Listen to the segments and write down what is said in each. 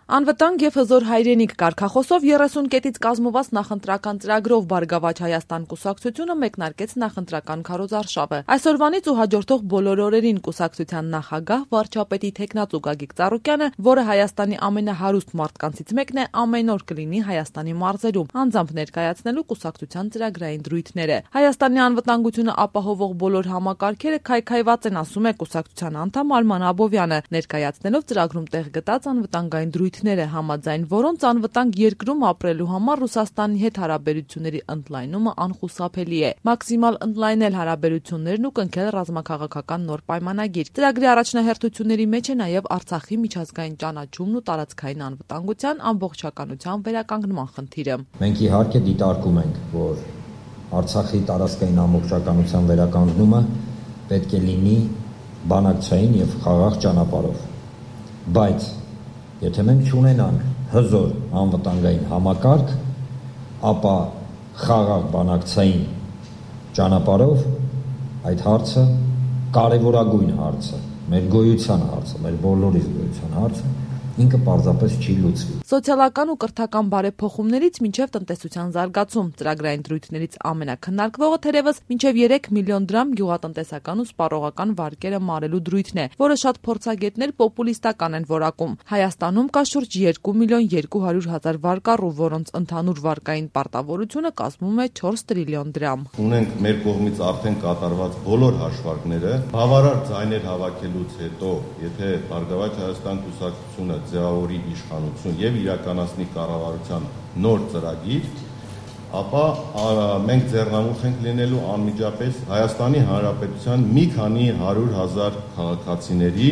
Անվտանգ եւ հզոր հայրենիք կարգախոսով 30 կետից կազմված նախընտրական ծրագրով Բարգավաճ Հայաստան կուսակցությունը մեկնարկեց նախընտրական քարոզարշավը։ Այսօրվանից ու հաջորդող բոլոր օրերին կուսակցության նախագահ վարչապետի թեկնածու Գագիկ Ծառուկյանը, որը Հայաստանի ամենահարուստ մարդկանցից մեկն է, ամեն օր կլինի Հայաստանի մարզերում, անձամբ ներկայացնելու կուսակցության ծրագրային դրույթները։ Հայաստանի անվտանգությունը ապահովող բոլոր համակարգերը քայքայված են, ասում է կուսակցության անդամ Արման Աբովյանը, ներկայացնելով ծրագրում տեղ գտած անվտանգային դրույթները, համաձայն որոնց անվտանգ երկրում ապրելու համար Ռուսաստանի հետ հարաբերությունների ընդլայնումը անխուսափելի է։ Մաքսիմալ ընդլայնել հարաբերություններն ու կնքել ռազմաքաղաքական նոր պայմանագիր։ Ծրագրի առաջնահերթությունների մեջ է նաև Արցախի միջազգային ճանաչումն ու տարածքային անվտանգության ամբողջականության վերականգնման խնդիրը։ Մենք իհարկե դիտարկում ենք, որ Արցախի տարածքային ամբողջականության վերականգնումը պետք է լինի բանակցային եւ խաղաղ ճանապարհով, բայց եթե մենք չունենանք հզոր անվտանգային համակարգ, ապա խաղաղ բանակցային ճանապարհով այդ հարցը կարևորագույն հարցը, մեր գոյության հարցը, մեր բոլորիս գոյության հարցը ինքը պարզապես չի լուծվի։ Սոցիալական ու կրթական բարեփոխումներից մինչև տնտեսության զարգացում ծրագրային դրույթներից ամենաքննարկվողը թերևս մինչև 3 միլիոն դրամ գյուղատնտեսական ու սպառողական վարկերը մարելու դրույթն է, որը շատ փորձագետներ պոպուլիստական են որակում։ Հայաստանում կա շուրջ 2 միլիոն 200 հազար վարկառու, որոնց ընդհանուր վարկային պարտավորությունը կազմում է 4 տրիլիոն դրամ։ Ունենք մեր կողմից արդեն կատարված բոլոր հաշվարկները, բավարար ձայներ հավաքելուց հետո, եթե Բարգավաճ Հայաստան կուսակցությունը ձևավորի իշխանություն եւ իրականացնի կառավարության նոր ծրագիր, ապա մենք ձեռնամուխ ենք լինելու անմիջապես Հայաստանի Հանրապետության մի քանի 100,000 քաղաքացիների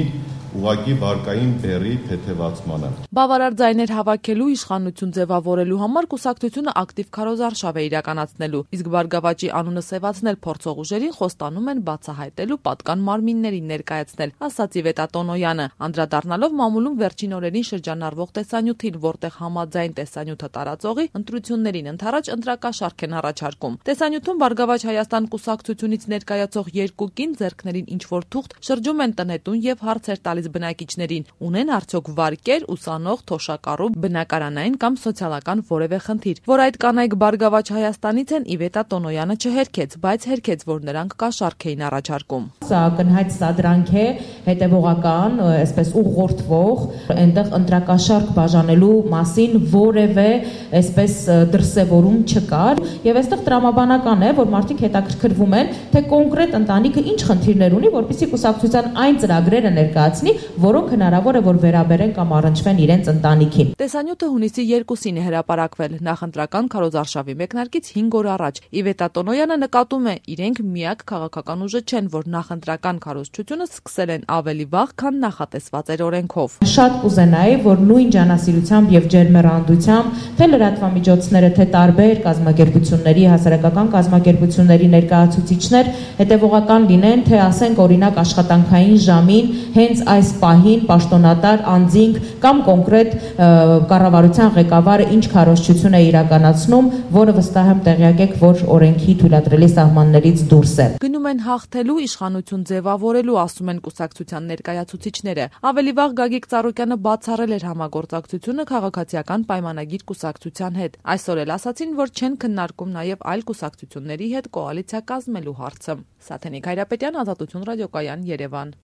ուղղակի վարկային բեռի թեթևացմանը։ Բավարար ձայներ հավաքելու իշխանություն ձևավորելու համար կուսակցությունը ակտիվ քարոզարշավ է իրականացնելու, իսկ Բարգավաճի անունը սևացնել փորձող ուժերին խոստանում են բացահայտելու պատկան մարմիններին ներկայացնել, ասաց Իվետա Տոնոյանը, անդրադառնալով մամուլում վերջին օրերին շրջանառվող տեսանյութին, որտեղ համաձայն տեսանյութը տարածողի ընտրություններին ընդառաջ ընտրակաշարք են առաջարկում։ Տեսանյութում Բարգավաճ Հայաստան կուսակցությունից ներկայացող երկու կին ձեռքներին ինչ-որ թուղթ շրջում են տնետուն եւ հարցեր տալիս բնակիչներին, ունեն արդյոք վարկեր, ուսանող, թոշակառու, բնակարանային կամ սոցիալական որևէ խնդիր։ Որ այդ կանայք Բարգավաճ Հայաստանից են, Իվետա Տոնոյանը չհերքեց, բայց հերքեց, որ նրանք կաշառք էին առաջարկում։ Սա ակնհայտ սադրանք է, հետևողական, այսպես ուղղորդվող, այնտեղ ընտրակաշառք բաժանելու մասին որևէ այսպես դրսևորում չկար, եւ այստեղ տրամաբանական է, որ մարդիկ հետաքրքրվում են, թե կոնկրետ ընտանիքը ինչ խնդիրներ ունի, որպեսզի կուսակցության այն ծրագրերը ներկայացնի, որոնք հնարավոր է որ վերաբերեն կամ առնչվեն իրենց ընտանիքին։ Տեսանյութը հունիսի 2-ին է հրապարակվել նախընտրական քարոզարշավի մեկնարկից 5 օր առաջ։ Իվետա Տոնոյանը նկատում է, իրենք միակ քաղաքական ուժը չեն, որ նախընտրական քարոզչությունը սկսել են ավելի վաղ, քան նախատեսված էր օրենքով։ Շատ կուզենայի, որ նույն ջանասիրությամբ եւ ջերմեռանդությամբ թե լրատվամիջոցները, թե տարբեր կազմակերպությունների, հասարակական կազմակերպությունների ներկայացուցիչներ հետևողական լինեն, թե ասենք օրինակ աշխատանքային ժամին հենց այս պահին պաշտոնատար անձինք կամ կոնկրետ կառավարության ղեկավարը ինչ քարոզչություն է իրականացնում, որը վստահ եմ տեղյակ եք, որ օրենքի թույլատրելի սահմաններից դուրս է։ Գնում են հաղթելու, իշխանություն ձևավորելու, ասում են կուսակցության ներկայացուցիչները։ Ավելի վաղ Գագիկ Ծառուկյանը բացառել էր համագործակցությունը քաղաքացիական պայմանագիր կուսակցության հետ։ Այսօր էլ ասացին, որ չեն քննարկում նաև այլ կուսակցությունների հետ կոալիցիա կազմելու հարցը։ Սաթենիկ Հայրապետյան, Ազատություն ռադիոկայան, Երևան։